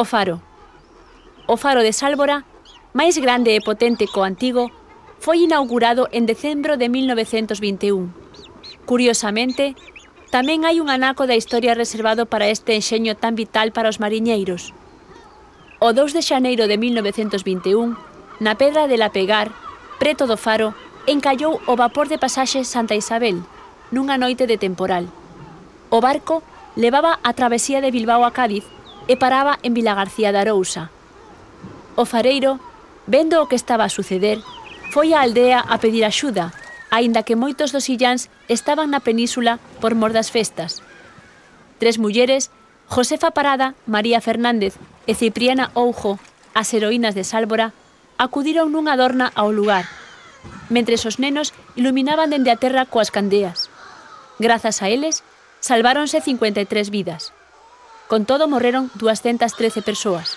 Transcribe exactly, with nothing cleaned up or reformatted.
O faro. O faro de Sálvora, máis grande e potente co antigo, foi inaugurado en decembro de mil novecentos vinte e un. Curiosamente, tamén hai un anaco da historia reservado para este enxeño tan vital para os mariñeiros. O dous de xaneiro de mil novecentos vinte e un, na Pedra de Lapegar, preto do faro, encallou o vapor de pasaxe Santa Isabel, nunha noite de temporal. O barco levaba a travesía de Bilbao a Cádiz e paraba en Vilagarcía de Arousa. O fareiro, vendo o que estaba a suceder, foi á aldea a pedir axuda, aínda que moitos dos illáns estaban na península por mor das festas. Tres mulleres, Josefa Parada, María Fernández e Cipriana Oujo, as heroínas de Sálvora, acudiron nunha dorna ao lugar, mentres os nenos iluminaban dende a terra coas candeas. Grazas a eles, salváronse cincuenta e tres vidas. Con todo, morreron doscientas trece persoas.